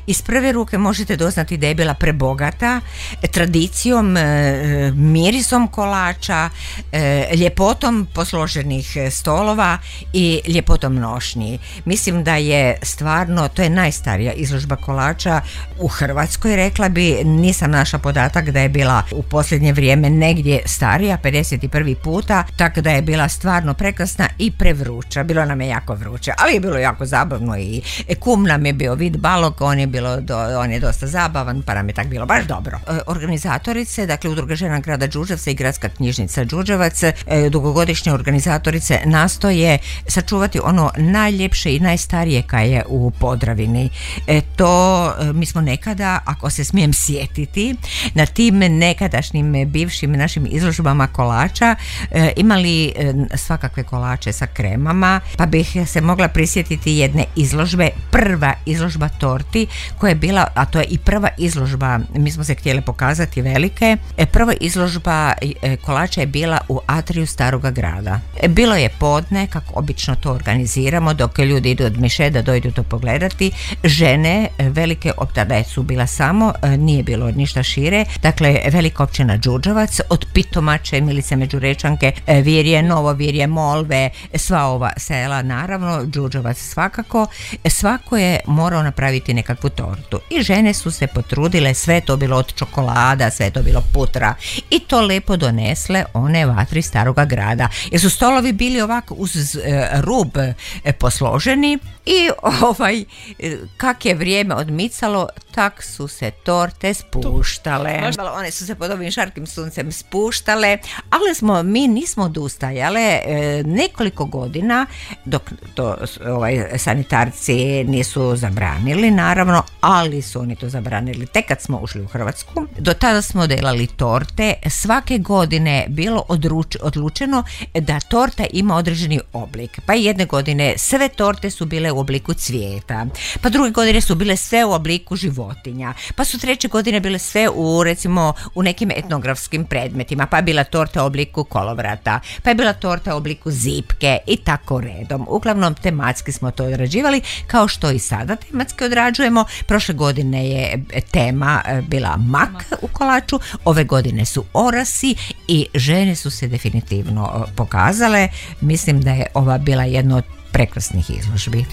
iz prve ruke možete doznati da je bila prebogata tradicijom, mirisom kolača, ljepotom posloženih stolova i ljepotom nošnji. Mislim da je stvarno, to je najstarija izložba kolača u Hrvatskoj, rekla bi, nisam našla podatak da je bila u posljednje vrijeme negdje starija, 51. puta, tako da je bila stvarno prekrasna i prevruća. Bilo nam je jako vruće, ali je bilo jako zabavno i kum nam je bio Vid Balog, on je dosta zabavan, pa nam je tak bilo baš dobro. Organizatorice, dakle Udruga žena grada Đurđevca i Gradska knjižnica Đurđevac, dugogodišnje organizatorice nastoje sačuvati ono najljepše i najstarije kaj je u Podravini. To mi smo nekada, ako se smijem sjetiti, na tim nekadašnjim bivšim našim izložbama kolača imali svakakve kolače sa kremama, pa bih se mogla prisjetiti jedne izložbe, prva izložba torti koja je bila, a to je i prva izložba, mi smo se htjeli pokazati velike, prva izložba kolača je bila u atriju Staroga grada. Bilo je podne, kako obično to organiziramo, dok ljudi idu od miše da dojdu to pogledati. Žene velike, tada su bila samo, nije bilo ništa šire, dakle velika općina Đurđevac, od Pitomače, Milice Međurečanke, Virje, Novo Virje, Molve, sva ova sela, naravno Đurđevac svakako, svako je morao napraviti nekakvu tortu i žene su se potrudile, sve to bilo od čokolada, sve to bilo putra i to lepo donesle one vatri Staroga grada, jer su stolovi bili ovako uz rub posloženi i kak je vrijeme odmicalo, tak su se torte spuštale. One su se pod ovim žarkim suncem spuštale, ali mi nismo odustajale nekoliko godina dok to sanitarci nisu zabranili, naravno, ali su oni to zabranili tek kad smo ušli u Hrvatsku. Do tada smo delali torte. Svake godine bilo odlučeno da torta ima određeni oblik. Pa jedne godine sve torte su bile u obliku cvijeta, pa druge godine su bile sve u obliku životinja, pa su treće godine bile sve u nekim etnografskim predmetima, pa je bila torta u obliku kolovrata, pa je bila torta u obliku zipke i tako redom. Uglavnom tematski smo to odrađivali, kao što i sada tematski odrađujemo. Prošle godine je tema bila mak u kolaču, ove godine su orasi i žene su se definitivno pokazale. Mislim da je ova bila jedna od prekrasnih izložbi.